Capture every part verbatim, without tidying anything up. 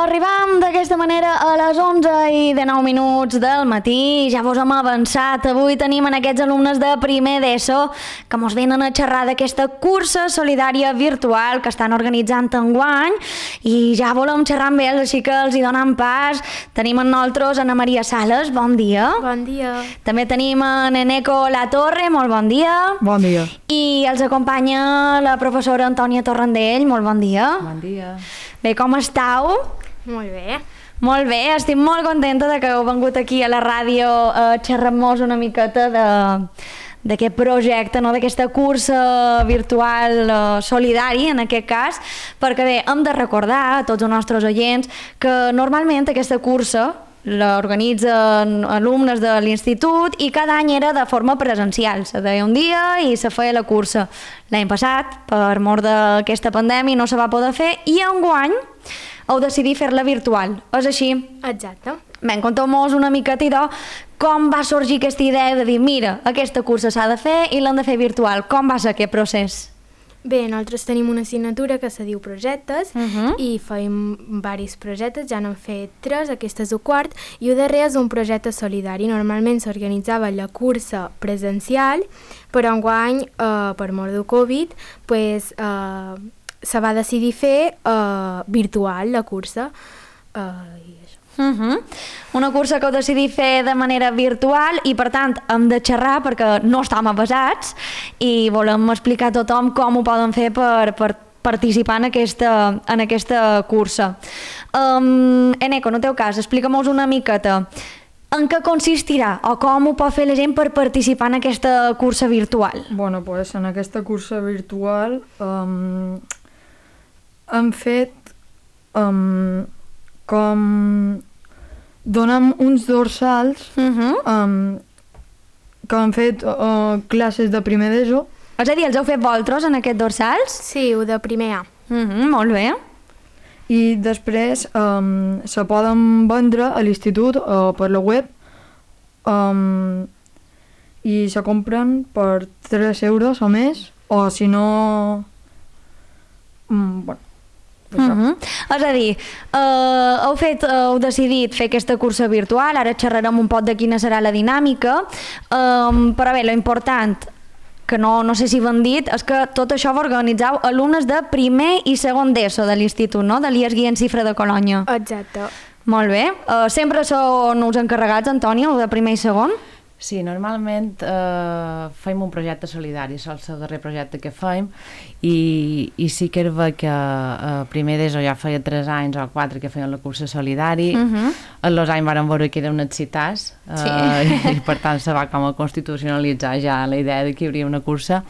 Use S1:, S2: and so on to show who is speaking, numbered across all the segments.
S1: arribam d'aquesta manera a les onze i dinou minuts del matí. Ja vos hem avançat. Avui tenim en aquests alumnes de primer d'ESO que mos venen a xerrar d'aquesta cursa solidària virtual que estan organitzant enguany i ja volem xerrar amb ells, així que els hi donem pas. Tenim amb nosaltres Ana Maria Sales, bon dia.
S2: Bon dia.
S1: També tenim en Eneco La Torre, molt bon dia.
S3: Bon dia.
S1: I els acompanya la professora Antònia Torrandell, molt bon dia.
S3: Bon dia.
S1: Bé, com estàu?
S2: Molt bé.
S1: Molt bé, estic molt contenta de que heu vengut aquí a la ràdio a xerrar-nos una miqueta de d'aquest projecte, no? D'aquesta cursa virtual uh, solidari, en aquest cas, perquè bé, hem de recordar a tots els nostres oients que normalment aquesta cursa l'organitzen alumnes de l'institut i cada any era de forma presencial. Se deia un dia i se feia la cursa. L'any passat, per mort d'aquesta pandèmia, no se va poder fer i enguany heu decidit fer-la virtual. És així?
S2: Exacte.
S1: Ben, conteu-nos una miqueta, idò, com va sorgir aquesta idea de dir, mira, aquesta cursa s'ha de fer i l'hem de fer virtual. Com va ser aquest procés?
S2: Bé, nosaltres tenim una assignatura que se diu projectes
S1: Uh -huh.
S2: i feim diversos projectes, ja n'hem fet tres, aquest és el quart, i el darrer és un projecte solidari. Normalment s'organitzava la cursa presencial, però enguany, eh, per mort del Covid, pues, eh, se va decidir fer eh, virtual la cursa. Eh, i això.
S1: Uh -huh. Una cursa que heu decidit fer de manera virtual i per tant hem de xerrar perquè no estem avasats i volem explicar a tothom com ho poden fer per, per participar en aquesta, en aquesta cursa. Um, Eneco, en el teu cas, explica-mos una miqueta en què consistirà o com ho pot fer la gent per participar en aquesta cursa virtual.
S3: Bueno, pues en aquesta cursa virtual um, hem fet um, com donem uns dorsals
S1: Uh -huh.
S3: um, que han fet uh, classes de primer d'ESO.
S1: És a dir, els heu fet vosaltres en aquests dorsals?
S2: Sí, el de primer A.
S1: Uh -huh, molt bé.
S3: I després um, se poden vendre a l'institut o per la web um, i se compren per tres euros o més, o si no... Um, bueno,
S1: Uh -huh. És a dir, eh, heu, fet, heu decidit fer aquesta cursa virtual, ara xerrarem un poc de quina serà la dinàmica, eh, però bé, l'important, que no, no sé si ho han dit, és que tot això ho organitzeu alumnes de primer i segon d'ESO de l'institut, no? De l'I E S Guillem Cifra de Colònia.
S2: Exacte.
S1: Molt bé. Uh, sempre són uns encarregats, Antònia, el de primer i segon?
S4: Sí, normalment eh, fem un projecte solidari, sol ser el darrer projecte que fem, i, i sí que era que eh, primer d'ESO ja feia tres anys o quatre que feien la cursa solidari,
S1: Uh -huh.
S4: en els anys vàrem veure que era un excitàs, eh,
S1: Sí.
S4: i per tant se va com a constitucionalitzar ja la idea de que hi hauria una cursa,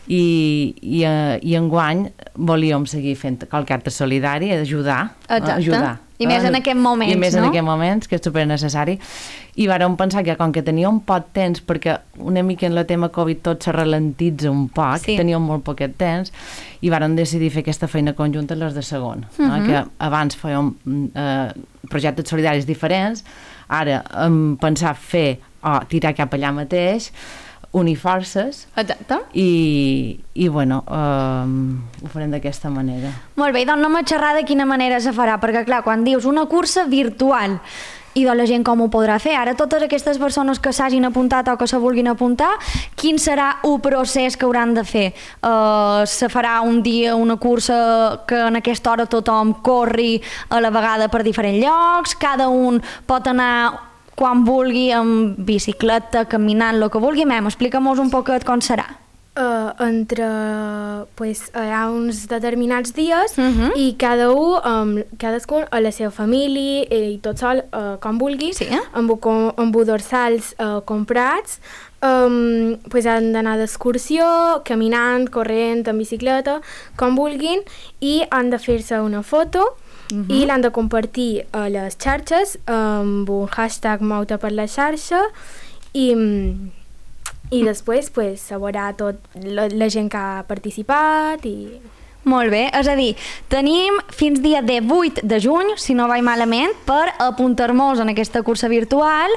S4: i, i, eh, i enguany volíem seguir fent qualque acte solidari, ajudar,
S1: Exacte.
S4: ajudar.
S1: I més en aquests moments,
S4: I més
S1: no?
S4: en aquests moments, que és supernecessari. I vàrem pensar que com que teníem poc temps, perquè una mica en el tema Covid tot se ralentitza un poc,
S1: Sí.
S4: teníem molt poquet temps, i vàrem decidir fer aquesta feina conjunta les de segon. Uh -huh. no? Que abans fèiem eh, projectes solidaris diferents, ara hem pensat fer o tirar cap allà mateix, unir forces,
S1: Exacte.
S4: i, i bueno, um, ho farem d'aquesta manera.
S1: Molt bé, doncs anem a xerrar de quina manera se farà, perquè clar, quan dius una cursa virtual, i de la gent com ho podrà fer, ara totes aquestes persones que s'hagin apuntat o que se vulguin apuntar, quin serà el procés que hauran de fer? Uh, se farà un dia una cursa que en aquesta hora tothom corri a la vegada per diferents llocs, cada un pot anar quan vulgui amb bicicleta, caminant, el que vulgui. Mem, explica'm-nos un poquet com serà.
S2: Uh, entre, pues, hi ha uns determinats dies
S1: Uh -huh.
S2: i cada un, um, cadascun a la seva família i tot sol, uh, com vulgui,
S1: Sí, eh?
S2: amb, com, amb dorsals uh, comprats, um, pues han d'anar d'excursió, caminant, corrent, en bicicleta, com vulguin, i han de fer-se una foto
S1: Uh -huh.
S2: i l'han de compartir a les xarxes amb un hashtag Mouta per la xarxa i... I després pues, se veurà tot la, la gent que ha participat i...
S1: Molt bé, és a dir, tenim fins dia divuit de juny, si no vaig malament, per apuntar-nos en aquesta cursa virtual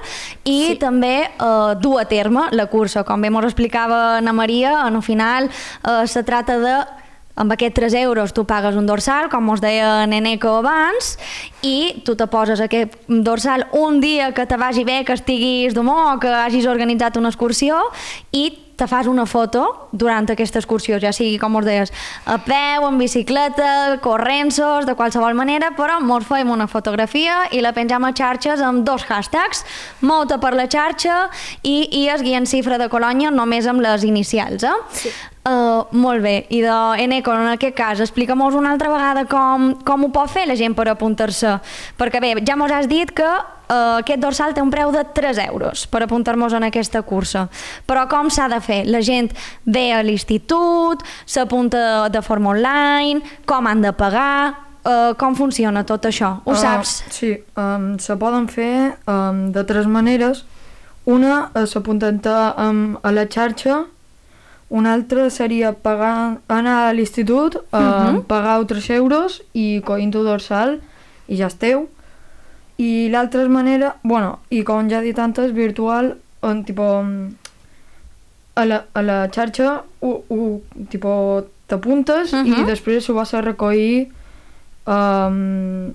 S1: i
S2: Sí.
S1: també eh, dur a terme la cursa. Com bé ens explicava Ana Maria, en el final eh, se trata de amb aquests tres euros tu pagues un dorsal, com us deia Neneco abans, i tu te poses aquest dorsal un dia que te vagi bé, que estiguis d'humor, que hagis organitzat una excursió, i te fas una foto durant aquesta excursió, ja sigui, com us deies, a peu, en bicicleta, corrents-sos, de qualsevol manera, però mos fem una fotografia i la pengem a xarxes amb dos hashtags, Mouta per la xarxa i, i es guia en Cifra de Colònia només amb les inicials, eh? Sí. Uh, molt bé, i de Eneco, en aquest cas, explica'm-nos una altra vegada com, com ho pot fer la gent per apuntar-se, perquè bé, ja mos has dit que uh, aquest dorsal té un preu de tres euros per apuntar-nos en aquesta cursa, però com s'ha de fer? La gent ve a l'institut, s'apunta de forma online, com han de pagar, uh, com funciona tot això, ho
S3: uh,
S1: saps?
S3: Sí, um, se poden fer um, de tres maneres. Una és apuntant um, a la xarxa. Una altra seria pagar, anar a l'institut, uh, uh-huh. pagar tres euros i coint un dorsal i ja esteu. I l'altra manera, bueno, i com ja he dit antes, virtual, on tipo, a la, a la xarxa u, u, tipo, t'apuntes uh-huh. i després ho vas a recollir um,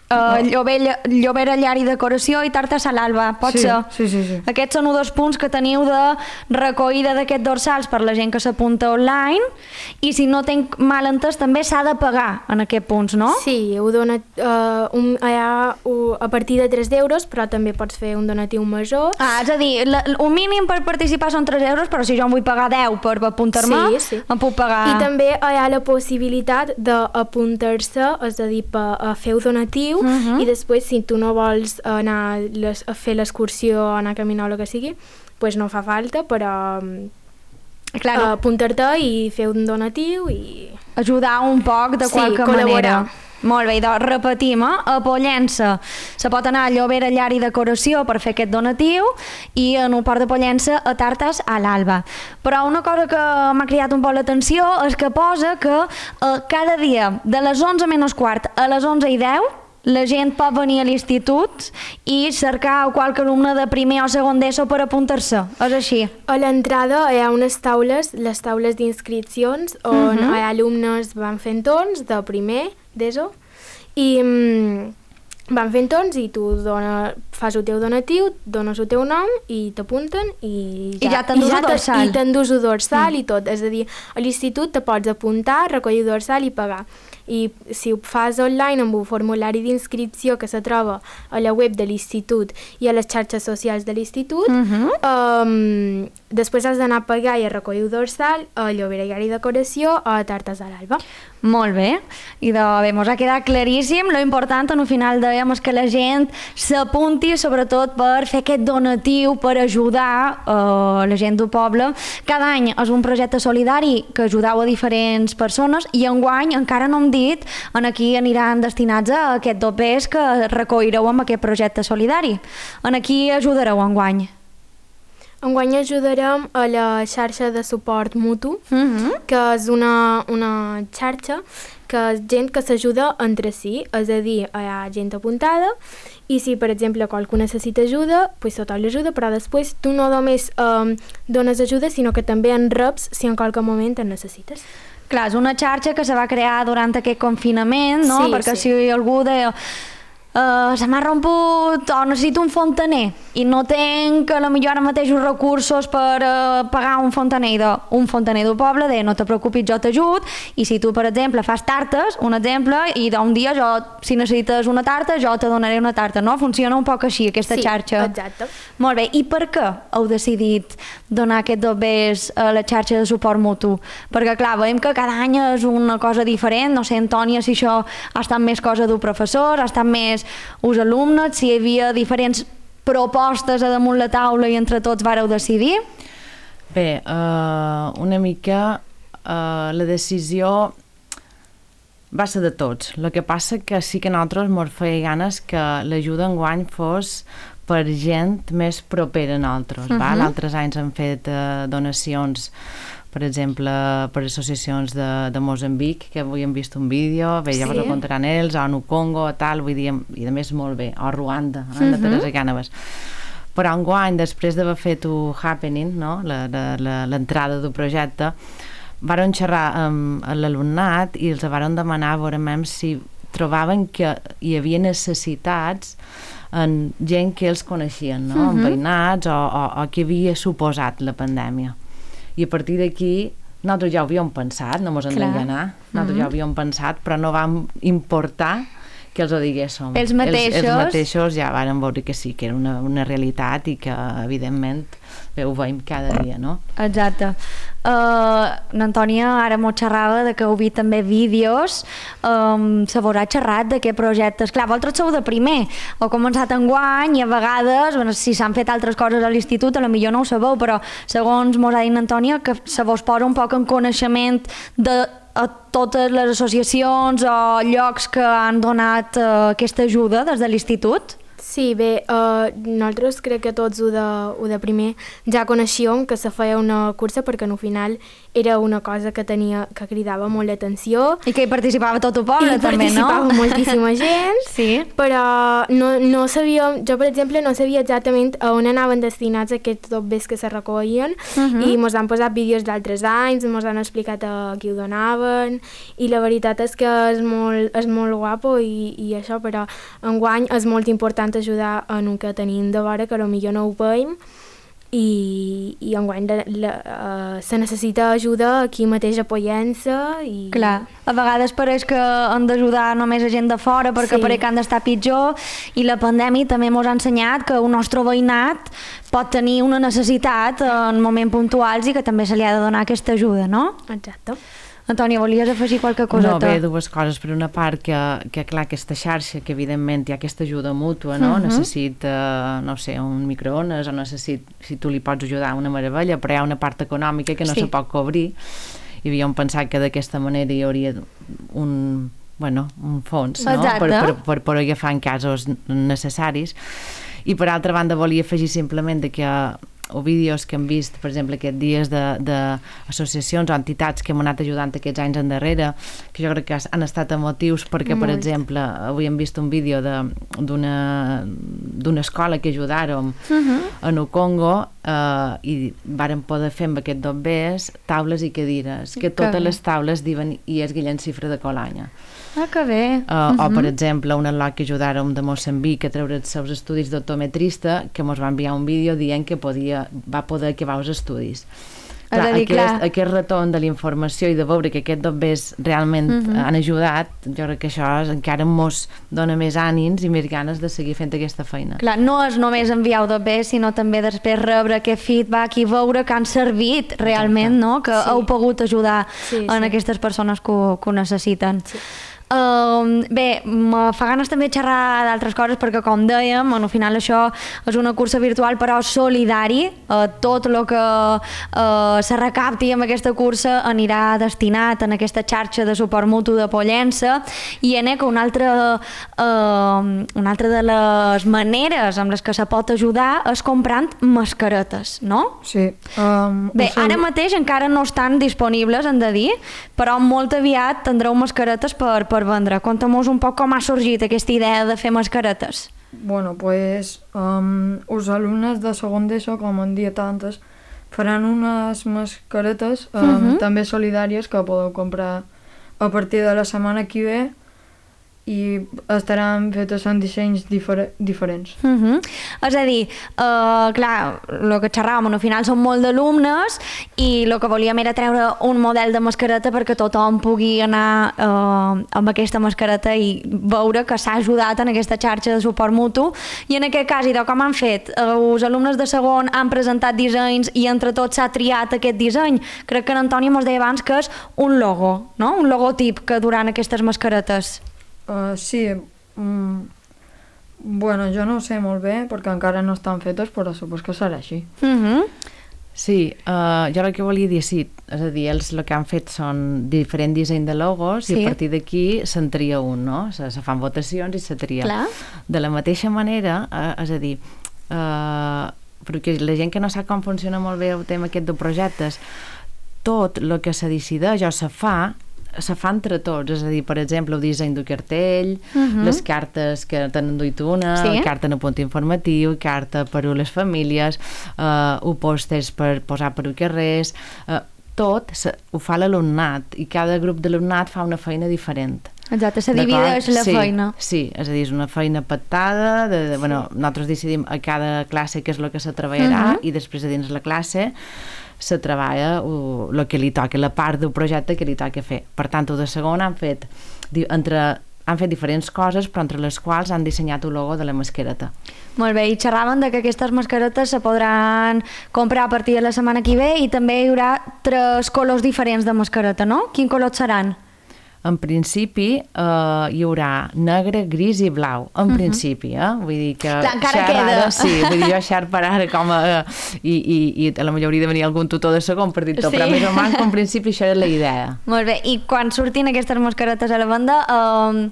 S1: Uh, Llobera, Llobera, Llar i Decoració i Tartes a l'Alba, pot
S3: sí,
S1: ser?
S3: Sí, sí, sí.
S1: Aquests són dos punts que teniu de recollida d'aquests dorsals per la gent que s'apunta online, i si no tenc mal entès també s'ha de pagar en aquests punts, no?
S2: Sí, ho dona, uh, un, ha, uh, a partir de tres euros, però també pots fer un donatiu major.
S1: Ah, és a dir, la, un mínim per participar són tres euros, però si jo em vull pagar deu per apuntar-me,
S2: sí, sí.
S1: em puc pagar...
S2: I també hi ha la possibilitat d'apuntar-se, és a dir, per, a fer un donatiu. Uh-huh. I després, si tu no vols anar les, a fer l'excursió, anar a caminar o el que sigui, pues no fa falta, però claro. apuntar-te i fer un donatiu i...
S1: ajudar un poc de
S2: sí,
S1: qualque
S2: col·laborar.
S1: manera. Molt bé, doncs repetim, eh? A Pollença se pot anar a Llobera, Llar i Decoració per fer aquest donatiu i en el Port de Pollença a Tartes a l'Alba. Però una cosa que m'ha cridat un poc l'atenció és que posa que eh, cada dia de les onze menys quart a les onze i deu la gent pot venir a l'institut i cercar qualque alumne de primer o segon d'ESO per apuntar-se, és així?
S2: A l'entrada hi ha unes taules, les taules d'inscripcions, on uh-huh. hi ha alumnes van fent torns de primer d'ESO i mm, van fent torns i tu dona, fas el teu donatiu, dones el teu nom i t'apunten i ja,
S1: I ja t'endús el dorsal.
S2: I t'endús el dorsal mm. i tot, és a dir, a l'institut te pots apuntar, recollir el dorsal i pagar. I si ho fas online amb un formulari d'inscripció que se troba a la web de l'institut i a les xarxes socials de l'institut, uh-huh. um, després has d'anar a pagar i a recollir el dorsal a Llobera, Llar i Decoració o a Tartes a l'Alba.
S1: Molt bé, i de, bé, mos ha quedat claríssim. Lo important al final dèiem és que la gent s'apunti sobretot per fer aquest donatiu, per ajudar uh, la gent del poble. Cada any és un projecte solidari que ajudeu a diferents persones i enguany encara no hem dit en aquí aniran destinats a aquest dopers que recollireu amb aquest projecte solidari. En aquí ajudareu enguany?
S2: Enguany ajudarem a la xarxa de suport mutu, uh-huh. que és una, una xarxa que és gent que s'ajuda entre si, és a dir, hi ha gent apuntada i si, per exemple, qualcú necessita ajuda, pues tothom l'ajuda, però després tu no només um, dones ajuda, sinó que també en reps si en qualque moment en necessites.
S1: Clar, és una xarxa que se va crear durant aquest confinament, no?
S2: Sí,
S1: perquè
S2: sí.
S1: si algú deia Uh, se m'ha romput o necessito un fontaner i no tenc a la millor ara mateix uns recursos per uh, pagar un fontaner de, un fontaner del poble, de no te preocupis, jo t'ajud, i si tu, per exemple, fas tartes, un exemple, i d'un dia jo, si necessites una tarta, jo te donaré una tarta, no? Funciona un poc així, aquesta
S2: sí,
S1: xarxa.
S2: Sí, exacte.
S1: Molt bé, i per què heu decidit donar aquest dobbers a la xarxa de suport mutu? Perquè, clar, veiem que cada any és una cosa diferent, no sé, Antònia, si això ha estat més cosa d'un professor, ha estat més us alumnes, si hi havia diferents propostes a damunt la taula i entre tots vareu decidir?
S4: Bé, uh, una mica uh, la decisió va ser de tots. El que passa que sí que nosaltres ens feia ganes que l'ajuda enguany fos per gent més propera a nosaltres. Uh-huh. Altres anys han fet uh, donacions, per exemple, per associacions de, de Moçambic, que avui hem vist un vídeo, bé, ja sí. Vos ho contaran ells, o no Congo, tal, vull dir, i a més molt bé, o Ruanda, uh -huh. de Teresa Cànovas. Però enguany, després d'haver fet un happening, no? l'entrada del projecte, varen xerrar amb l'alumnat i els varen demanar a veure si trobaven que hi havia necessitats en gent que els coneixien, no? Uh-huh. En veïnats o, o, o que havia suposat la pandèmia. I a partir d'aquí nosaltres ja ho havíem pensat, no mos hem d'enganar, nosaltres uh-huh. ja ho havíem pensat, però no vam importar que els ho diguéssim.
S1: Els mateixos.
S4: Els, els mateixos ja varen veure que sí, que era una, una realitat i que, evidentment, bé, ho veiem cada dia, no?
S1: Exacte. Uh, L'Antònia ara m'ho xerrava de que heu vist també vídeos, um, se veurà xerrat de què projectes. Clar, vosaltres sou de primer, heu començat enguany i a vegades, bueno, si s'han fet altres coses a l'institut, a lo millor no ho sabeu, però segons mos ha dit l'Antònia, que se vos posa un poc en coneixement de a totes les associacions o llocs que han donat uh, aquesta ajuda des de l'institut?
S2: Sí, bé, uh, nosaltres crec que tots ho de, ho de primer ja coneixíem que se feia una cursa perquè al final era una cosa que tenia que cridava molt l'atenció.
S1: I que hi participava tot el poble,
S2: I
S1: també, no?
S2: I participava moltíssima gent,
S1: sí.
S2: Però no, no sabíem, jo per exemple no sabia exactament a on anaven destinats aquests dobbers que se recollien uh-huh. i mos han posat vídeos d'altres anys, mos han explicat a qui ho donaven i la veritat és que és molt, és molt guapo i, i això, però enguany és molt important ajudar en el que tenim de vora, que potser no ho veiem, i, i enguany de, la, uh, se necessita ajuda aquí mateix apoyant-se. I...
S1: Clar, a vegades pareix que han d'ajudar només a gent de fora perquè sí. pareix que han d'estar pitjor, i la pandèmia també ens ha ensenyat que el nostre veïnat pot tenir una necessitat en moments puntuals i que també se li ha de donar aquesta ajuda, no?
S2: Exacte.
S1: Antònia, volies afegir qualque coseta?
S4: No, bé, dues coses. Per una part, que, que clar, aquesta xarxa, que evidentment hi ha aquesta ajuda mútua, no? Uh-huh. Necessita, no sé, un microones, o necessita, si tu li pots ajudar, una meravella, però hi ha una part econòmica que no sí. se pot cobrir, i havíem pensat que d'aquesta manera hi hauria un, bueno, un fons, no? Per, per, per, per agafar en casos necessaris. I per altra banda, volia afegir simplement de que o vídeos que hem vist, per exemple, aquests dies d'associacions o entitats que hem anat ajudant aquests anys endarrere, que jo crec que han estat emotius perquè, Molt. per exemple, avui hem vist un vídeo d'una d'una escola que ajudàrem uh-huh. en el Congo eh, i varen poder fer amb aquests dobbers taules i cadires, que totes que les taules diuen i és Guillem Cifra de Colanya.
S1: Ah, que bé.
S4: Uh, uh-huh. O, per exemple, un al·lot que ajudàrem de Moçambic a treure els seus estudis d'optometrista, que ens va enviar un vídeo dient que podia, va poder acabar els estudis. Clar, dir, aquest, clar. aquest retorn de la informació i de veure que aquests dobbers realment uh-huh. han ajudat, jo crec que això encara mos dona més ànims i més ganes de seguir fent aquesta feina.
S1: Clar, no és només enviar dobbers, sinó també després rebre aquest feedback i veure que han servit realment, Exacte. no? Que sí. heu pogut ajudar sí, en sí. aquestes persones que ho, que ho necessiten. Sí. Uh, bé, me fa ganes també xerrar d'altres coses perquè, com dèiem, al final això és una cursa virtual però solidari. Uh, tot el que uh, se recapti amb aquesta cursa anirà destinat en aquesta xarxa de suport mutu de Pollença. I en que una altra, uh, una altra de les maneres amb les que se pot ajudar és comprant mascaretes, no?
S3: Sí. Um,
S1: bé, ara mateix encara no estan disponibles, hem de dir, però molt aviat tindreu mascaretes per, per vendre. Conta'm-nos un poc com ha sorgit aquesta idea de fer mascaretes.
S3: Bueno, pues um, els alumnes de segon d'ESO, com en dia tantes, faran unes mascaretes um, uh-huh. també solidàries que podeu comprar a partir de la setmana que ve i estaran fetes en dissenys difer diferents.
S1: Uh-huh. És a dir, uh, clar, el que xerràvem, al final són molt d'alumnes i el que volíem era treure un model de mascareta perquè tothom pugui anar uh, amb aquesta mascareta i veure que s'ha ajudat en aquesta xarxa de suport mutu. I en aquest cas, i de com han fet, uh, els alumnes de segon han presentat dissenys i entre tots s'ha triat aquest disseny. Crec que l'Antònia mos deia abans que és un logo, no? Un logotip que duran aquestes mascaretes.
S3: Uh, sí, mm, bueno, jo no ho sé molt bé perquè encara no estan fetes, però supos que serà així.
S1: Uh-huh.
S4: Sí, uh, jo el que volia dir, sí, és a dir, ells el que han fet són diferent disseny de logos sí. i a partir d'aquí se'n tria un, no? Se, se fan votacions i se tria.
S1: Clar.
S4: De la mateixa manera, uh, és a dir, uh, perquè la gent que no sap com funciona molt bé el tema aquest de projectes, tot el que se decideix o se fa se fa entre tots, és a dir, per exemple, el disseny del cartell, uh-huh. les cartes que tenen duit una, sí. carta en el punt informatiu, carta per a les famílies, uh, o pòsters per posar per a carrers, uh, tot se, ho fa l'alumnat i cada grup d'alumnat fa una feina diferent.
S1: Exacte, se divideix la
S4: sí,
S1: feina.
S4: Sí, és a dir, és una feina pactada, de, de, sí. bueno, nosaltres decidim a cada classe què és el que se treballarà uh -huh. i després a dins la classe se treballa el que li toca, la part del projecte que li toca fer. Per tant, de segon han fet entre han fet diferents coses, però entre les quals han dissenyat el logo de la mascareta.
S1: Molt bé, i xerraven de que aquestes mascaretes se podran comprar a partir de la setmana que ve i també hi haurà tres colors diferents de mascareta, no? Quins colors seran?
S4: En principi eh, hi haurà negre, gris i blau, en uh -huh. principi, eh? Vull dir que...
S1: Clar, encara queda.
S4: Ara, sí, vull dir, jo xer per ara com a... I, i, i a la majoria hauria de venir algun tutor de segon per dir-te, sí. Però més o menys, en principi, això és la idea.
S1: Molt bé, i quan surtin aquestes mascaretes a la venda, eh,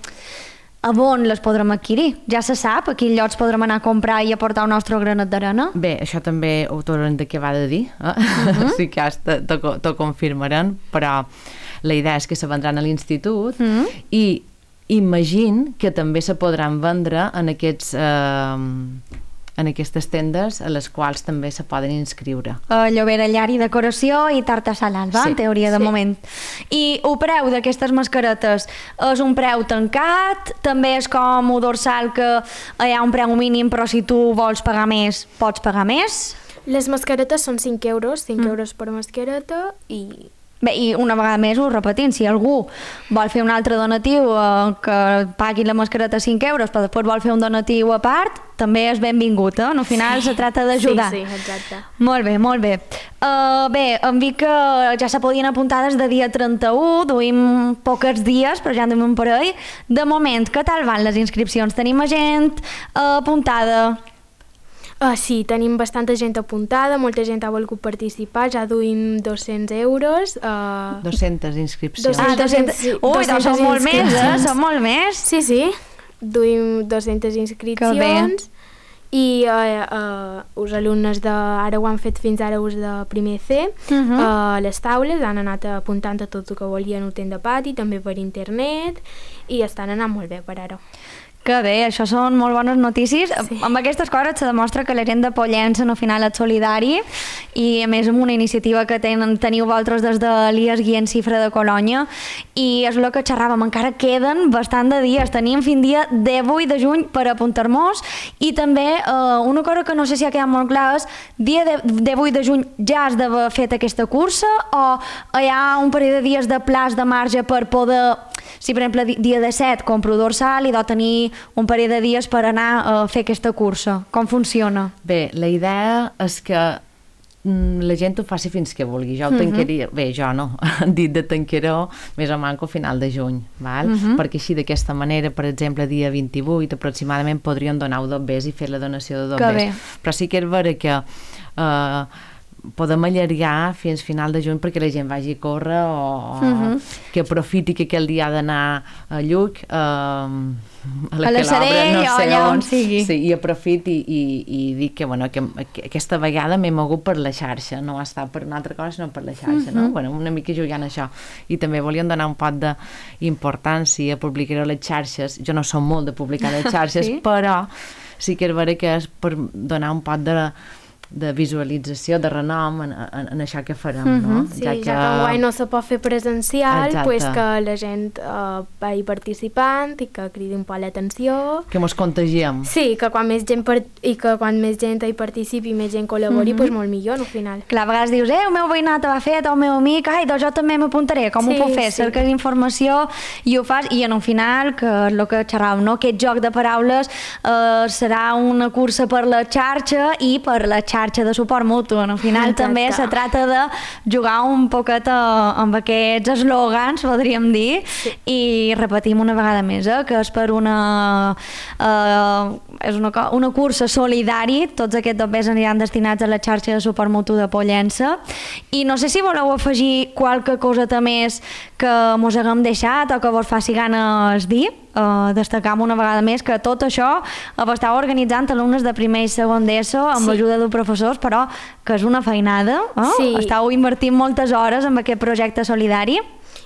S1: a on les podrem adquirir? Ja se sap a quins llocs podrem anar a comprar i aportar el nostre granet d'arena?
S4: Bé, això també ho tornem de què va de dir, eh? Uh -huh. Sí que t'ho confirmaran, però la idea és que se vendran a l'institut mm. i imagino que també se podran vendre en aquests eh, en aquestes tendes a les quals també se poden inscriure.
S1: Uh, Llobera, llar i decoració i tarta salada, sí. En teoria, de sí. moment. I el preu d'aquestes mascaretes és un preu tancat? També és com un dorsal que hi ha un preu mínim, però si tu vols pagar més, pots pagar més?
S2: Les mascaretes són cinc euros, cinc mm. euros per mascareta i...
S1: Bé, i una vegada més ho repetim, si algú vol fer un altre donatiu eh, que pagui la mascareta cinc euros però després vol fer un donatiu a part, també és benvingut, eh? Al final sí. Se tracta d'ajudar.
S2: Sí, sí, exacte.
S1: Molt bé, molt bé. Uh, bé, em dic que ja se podien apuntar des de dia trenta-u, duim pocs dies, però ja en duim un parell. De moment, què tal van les inscripcions? Tenim gent uh, apuntada?
S2: Uh, sí, tenim bastanta gent apuntada, molta gent ha volgut participar, ja duim dos-cents euros. Uh...
S4: dues-centes inscripcions.
S1: Ah, dos-centes. Ui, doncs són molt més, eh? Són molt més.
S2: Sí, sí, duim dues-centes inscripcions i uh, uh, els alumnes de, ara ho han fet fins ara els de primer C, uh -huh. uh, les taules han anat apuntant a tot el que volien ho tenen de pati, també per internet i estan anant molt bé per ara.
S1: Que bé, això són molt bones notícies. Sí. Amb aquestes coses se demostra que la gent de Pollença al final és solidari i a més amb una iniciativa que tenen, teniu vosaltres des de l'I A S Guient Cifra de Colònia i és el que xerràvem, encara queden bastant de dies, tenim fins dia divuit de juny per apuntar-nos i també eh, una cosa que no sé si ha quedat molt clar és dia divuit de juny ja has d'haver fet aquesta cursa o hi ha un parell de dies de plaç de marge per poder, si per exemple dia disset compro dorsal i deu tenir un parell de dies per anar a fer aquesta cursa. Com funciona?
S4: Bé, la idea és que la gent ho faci fins que vulgui. Jo ho tancaria, uh -huh. bé, jo no, han dit de tancar-ho més o menys al final de juny, val? Uh -huh. Perquè així d'aquesta manera, per exemple, dia vint-i-vuit aproximadament podrien donar dos bes i fer la donació de dos bes. Però sí que és vera que eh, podem allargar fins final de juny perquè la gent vagi a córrer o uh-huh. que aprofiti que aquell dia ha d'anar a Lluc eh, a la,
S1: a la Sarell
S4: no sé
S1: o allà
S4: on,
S1: on sigui
S4: sí, i aprofiti i, i dic que, bueno, que, que aquesta vegada m'he mogut per la xarxa, no ha estat per una altra cosa sinó per la xarxa, uh-huh. no? Bueno, una mica jugant a això i també volíem donar un pot d'importància a publicar a les xarxes. Jo no som molt de publicar a les xarxes sí? Però sí que és vera que és per donar un pot de de visualització, de renom en, en, en això que farem, uh-huh. no?
S2: Sí, ja que, ja que enguany no se pot fer presencial, pues que la gent uh, vagi participant i que cridi un poc l'atenció.
S4: Que mos contagiem.
S2: Sí, que quan més gent per... i que quan més gent hi participi i més gent col·labori, uh-huh. pues molt millor, no, al final.
S1: Clar, a vegades dius, eh, el meu veïnat ho ha fet, o el meu amic, ai, doncs jo també m'apuntaré, com sí, ho puc fer? Sí. Cerques informació i ho fas, i en un final, que és el que xerràvem, no? Aquest joc de paraules eh, serà una cursa per la xarxa i per la xarxa xarxa de suport mutu. Al final Exacte. També se trata de jugar un poquet amb aquests eslògans, podríem dir, sí. I repetim una vegada més, eh, que és per una, eh, és una, una cursa solidari, tots aquests dobbers aniran destinats a la xarxa de suport mutu de Pollença. I no sé si voleu afegir qualque coseta més que mos haguem deixat o que vos faci ganes dir. Uh, destacam una vegada més que tot això ho estàu organitzant alumnes de primer i segon d'ESO amb sí. L'ajuda dels professors, però que és una feinada, eh? Sí. Estàu invertint moltes hores en aquest projecte solidari.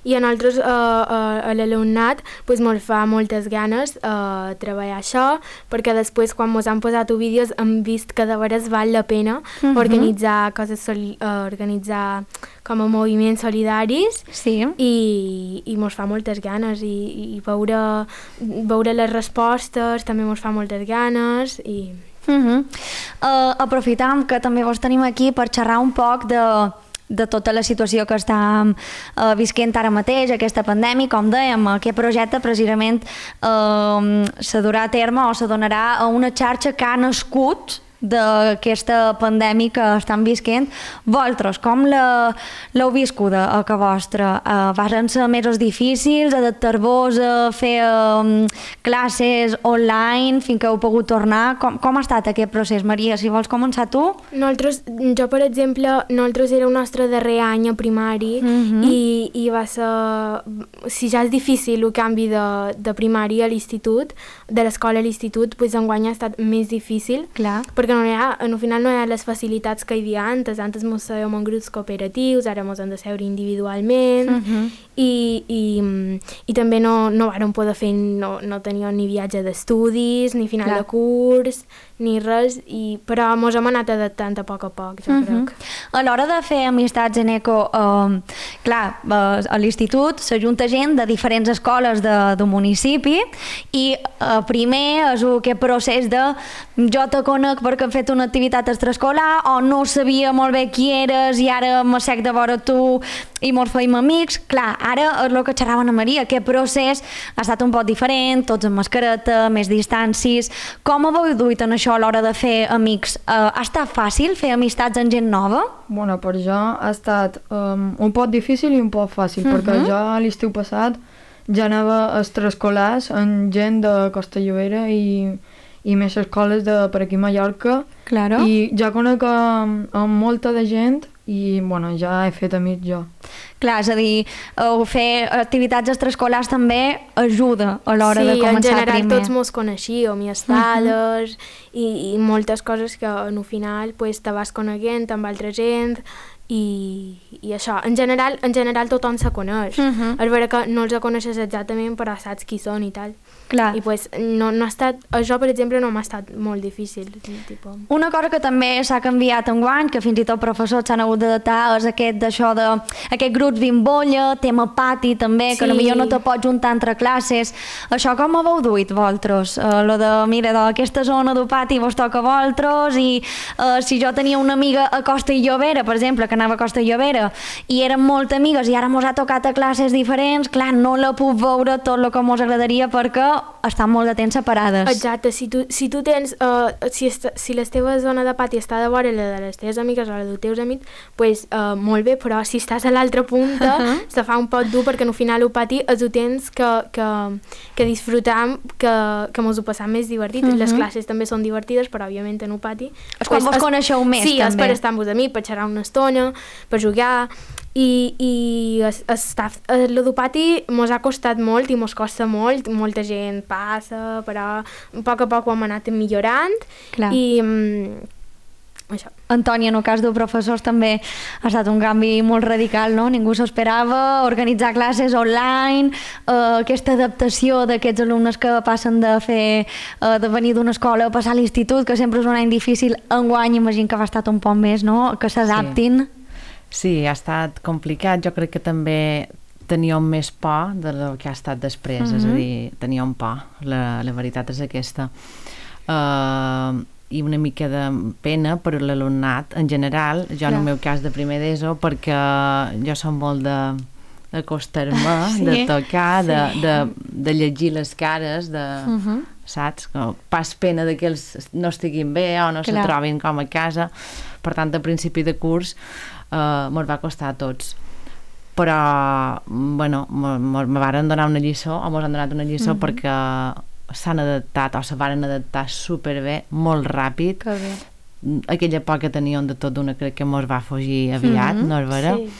S2: i a nosaltres, uh, uh, a l'alumnat, pues, mos fa moltes ganes uh, treballar això, perquè després, quan mos han posat vídeos, hem vist que de veres val la pena uh-huh. organitzar coses, soli uh, organitzar com a moviments solidaris
S1: sí.
S2: i, i mos fa moltes ganes i, i veure, veure les respostes també mos fa moltes ganes i...
S1: Uh -huh. uh, aprofitam que també vos tenim aquí per xerrar un poc de, de tota la situació que està uh, visquent ara mateix, aquesta pandèmia. Com dèiem, aquest projecte precisament uh, se durà a terme o se donarà a una xarxa que ha nascut d'aquesta pandèmia que estan visquent. Vosaltres, com l'heu viscuda a casa vostra? Uh, van ser mesos difícils, adaptar-vos a fer um, classes online fins que heu pogut tornar? Com, com ha estat aquest procés, Maria? Si vols començar tu?
S2: Nosaltres, jo, per exemple, nosaltres era el nostre darrer any a primari uh-huh. i, i va ser... Si ja és difícil el canvi de, de primari a l'institut, de l'escola a l'institut, doncs enguany ha estat més difícil.
S1: Clar.
S2: Perquè no hi ha, al final no hi ha les facilitats que hi havia antes. Antes mos sèiem en grups cooperatius, ara mos hem de seure individualment uh-huh. i, i, i també no, no vàrem poder fer, no, no teníem ni viatge d'estudis, ni final Clar. de curs, ni res, i, però mos hem anat adaptant a poc a poc, jo uh-huh. crec.
S1: A l'hora de fer amistats en eco, eh, clar, eh, a l'institut s'ajunta gent de diferents escoles de, de municipi i eh, primer és aquest procés de jo te conec perquè hem fet una activitat extraescolar o no sabia molt bé qui eres i ara m'assec de vora tu i mos feim amics. Clar, ara és el que xerrava Ana Maria, aquest procés ha estat un poc diferent, tots amb mascareta, més distàncies. Com heu duit en això a l'hora de fer amics? Uh, ha estat fàcil fer amistats amb gent nova?
S3: Bueno, per jo ha estat um, un poc difícil i un poc fàcil, uh-huh. perquè jo l'estiu passat ja anava a extraescolars amb gent de Costa Llobera i i més escoles de per aquí a Mallorca
S1: claro.
S3: i ja conec amb, amb molta de gent i bueno, ja he fet amics jo.
S1: Clar, és a dir, uh, fer activitats extraescolars també ajuda a l'hora
S2: sí,
S1: de començar primer.
S2: Sí, en general primer. Tots mos coneixíem i estades uh-huh. i, i moltes coses que en final pues, te vas coneguent amb altra gent i, i això, en general, en general tothom se coneix. Uh-huh. És vera que no els coneixes exactament però saps qui són i tal.
S1: Clar.
S2: I pues, no, no ha estat, això per exemple no m'ha estat molt difícil. Tipo.
S1: Una cosa que també s'ha canviat enguany, que fins i tot professors s'han hagut d'adaptar, és aquest d'això de aquest grups bimbolla, tema pati també, que sí. potser no te pots juntar entre classes. Això com ho heu duit vosaltres? Uh, lo de, mira, d'aquesta zona del pati vos toca a vosaltres i uh, si jo tenia una amiga a Costa i Llobera, per exemple, que anava a Costa i Llobera i érem molt amigues i ara mos ha tocat a classes diferents, clar, no la puc veure tot el que mos agradaria perquè estan molt de temps separades.
S2: Exacte, si tu, si tu tens, uh, si, est, si la teva zona de pati està de vora la de les teves amigues o la dels teus amics, pues, uh, molt bé, però si estàs a l'altra punta uh -huh. se fa un poc dur perquè al final el pati és el temps que, que, que disfrutam, que, que mos ho passam més divertit. Uh -huh. Les classes també són divertides, però òbviament en el pati...
S1: És quan vos coneixeu més,
S2: sí,
S1: també.
S2: Sí, és per estar amb vos amics, per xerrar una estona, per jugar... I, i el ludopati mos ha costat molt i mos costa molt, molta gent passa, però a poc a poc ho hem anat millorant. Clar. I um, això.
S1: Antònia, en el cas dels professors també ha estat un canvi molt radical, no? Ningú s'esperava, organitzar classes online, eh, aquesta adaptació d'aquests alumnes que passen de fer eh, de venir d'una escola a passar a l'institut, que sempre és un any difícil. Enguany imagino que ha estat un poc més, no? Que s'adaptin.
S4: Sí. Sí, ha estat complicat. Jo crec que també teníem més por del que ha estat després, uh-huh. és a dir, teníem por, la, la veritat és aquesta. Uh, I una mica de pena per l'alumnat en general, jo Clar. En el meu cas de primer d'ESO, perquè jo som molt de d'acostar-me, sí. de tocar, sí. de, de, de llegir les cares, de... Uh-huh. saps? Que pas pena de que ells no estiguin bé o no Clar. Se trobin com a casa. Per tant, a principi de curs Uh, mos va costar a tots, però bueno, me varen donar una lliçó o mos han donat una lliçó uh-huh. perquè s'han adaptat o se varen adaptar superbé, molt ràpid. Aquella por que teníem de tot d'una crec que mos va fugir aviat, uh-huh. no és vera? Sí.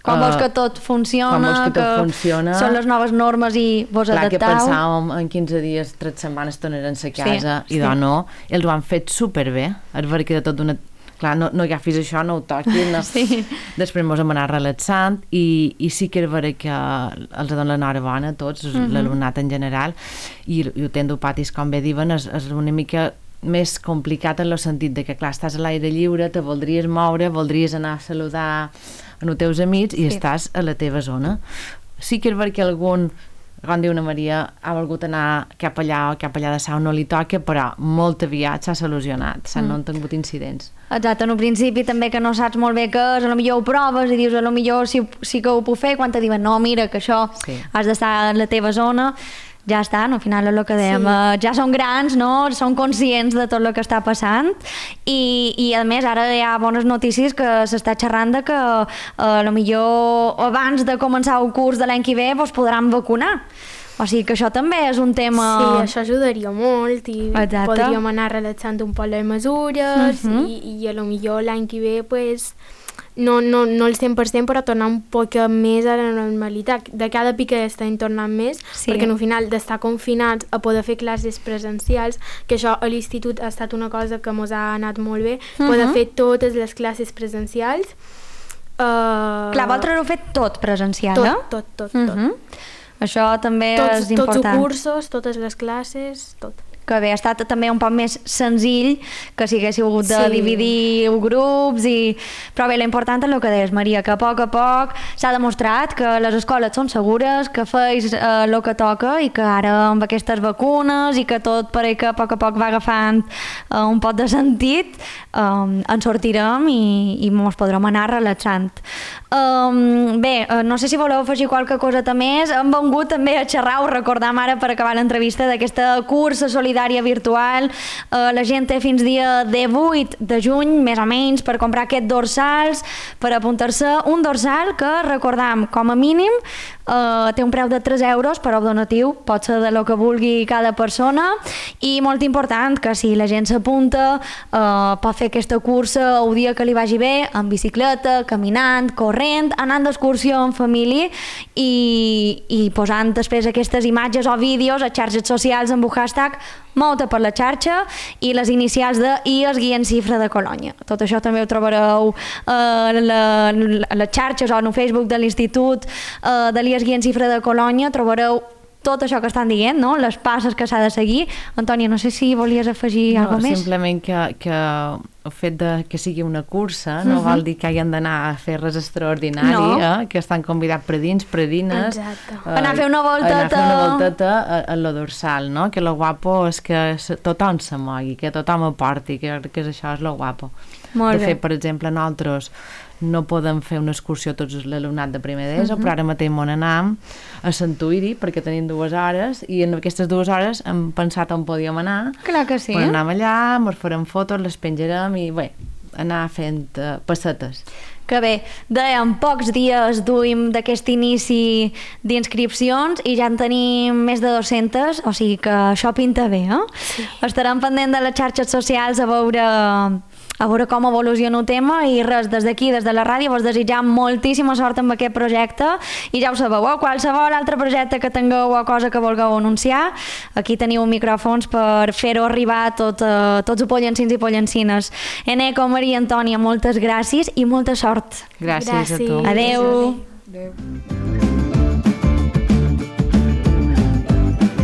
S1: Com vols que tot funciona,
S4: com vols que, tot
S1: que
S4: funciona.
S1: Són les noves normes i vos
S4: Clar,
S1: adaptau.
S4: Que pensàvem en quinze dies, tres setmanes tornaran a casa sí, i sí. doncs no, ells ho han fet superbé, és vera que de tot d'una clar, no, no agafis això, no ho toquis, no.
S1: Sí.
S4: Després mos hem anat relaxant i, i sí que és vera que els donen l'enhorabona a tots, uh-huh. l'alumnat en general, i, i ho tendo patis, com bé diuen, és, és una mica més complicat en el sentit de que, clar, estàs a l'aire lliure, te voldries moure, voldries anar a saludar els teus amics i sí. estàs a la teva zona. Sí que és vera que algun, com diu una Maria, ha volgut anar cap allà o cap allà de sau, no li toca, però molt aviat s'ha solucionat, mm. no han tingut incidents.
S1: Exacte, en un principi també que no saps molt bé què és, potser ho proves i dius, potser sí, sí que ho puc fer, quan te diuen, no, mira, que això sí. has d'estar a la teva zona, ja està, no? Al final és el que dèiem, sí. ja són grans, no? Són conscients de tot el que està passant i, i a més ara hi ha bones notícies que s'està xerrant de que eh, millor abans de començar el curs de l'any que ve vos podran vacunar. O sigui que això també és un tema...
S2: Sí, això ajudaria molt i Exacte. podríem anar relaxant un poc les mesures uh-huh. i, i a lo millor l'any que ve pues, no, no, no el cent per cent però tornar un poc més a la normalitat. De cada pica estem tornant més sí. perquè al final d'estar confinats a poder fer classes presencials, que això a l'institut ha estat una cosa que ens ha anat molt bé, uh-huh. poder fer totes les classes presencials. Uh...
S1: Clar, vosaltres heu fet tot presencial,
S2: tot,
S1: eh?
S2: Tot, tot,
S1: uh-huh. tot. Això també
S2: tots,
S1: és important.
S2: Tots els cursos, totes les classes, tot.
S1: Que bé, ha estat també un poc més senzill que si haguéssiu hagut de sí. dividir grups i... Però bé, l'important és el que deies, Maria, que a poc a poc s'ha demostrat que les escoles són segures, que feis eh, el que toca i que ara amb aquestes vacunes i que tot pareix que a poc a poc va agafant eh, un pot de sentit, eh, en sortirem i, i ens podrem anar relaxant. Um, bé, uh, no sé si voleu afegir qualque cosa més. Hem vengut també a xerrar, us recordam ara per acabar l'entrevista d'aquesta cursa solidària virtual. Uh, la gent té fins dia divuit de juny, més o menys, per comprar aquests dorsals, per apuntar-se un dorsal que, recordam, com a mínim uh, té un preu de tres euros, però el donatiu pot ser de lo que vulgui cada persona i molt important que si la gent s'apunta uh, pot fer aquesta cursa el dia que li vagi bé, en bicicleta, caminant, corrent, anant d'excursió en família i, i posant després aquestes imatges o vídeos a xarxes socials amb un hashtag Mou-te per la xarxa i les inicials de I es guia en xifra de Colònia. Tot això també ho trobareu a eh, les xarxes o en el Facebook de l'Institut eh, de l'I es guia en xifra de Colònia. Trobareu tot això que estan dient, no? Les passes que s'ha de seguir. Antònia, no sé si volies afegir
S4: no,
S1: alguna més.
S4: Simplement que, que el fet de que sigui una cursa no uh-huh. vol dir que hagin d'anar a fer res extraordinari, no. eh? Que estan convidats predins, predines.
S2: Exacte.
S1: Eh, anar a fer una volteta.
S4: Anar a fer una volteta a, a la dorsal, no? Que lo guapo és que tothom se mogui, que tothom aporti, que, que això és lo guapo.
S1: Molt
S4: de
S1: bé.
S4: fet, per exemple, nosaltres no podem fer una excursió tots l'alumnat de primer d'ESO, uh-huh. però ara mateix m'on anam a Santuiri perquè tenim dues hores i en aquestes dues hores hem pensat on podíem anar.
S1: Clar que sí.
S4: Però anam allà, ens farem fotos, les penjarem i bé, anar fent uh, passetes.
S1: Que bé, dèiem, pocs dies duim d'aquest inici d'inscripcions i ja en tenim més de dues-centes, o sigui que això pinta bé, eh? Sí. Estarem pendent de les xarxes socials a veure... a veure com evoluciona el tema i res, des d'aquí, des de la ràdio, vos desitjam moltíssima sort amb aquest projecte i ja ho sabeu, eh? Qualsevol altre projecte que tingueu o cosa que vulgueu anunciar, aquí teniu micròfons per fer-ho arribar a tot, uh, tots els pollancins i pollancines. Eneco, Maria, Antònia, moltes gràcies i molta sort.
S4: Gràcies, gràcies. a tu.
S1: Adeu.
S3: Adeu.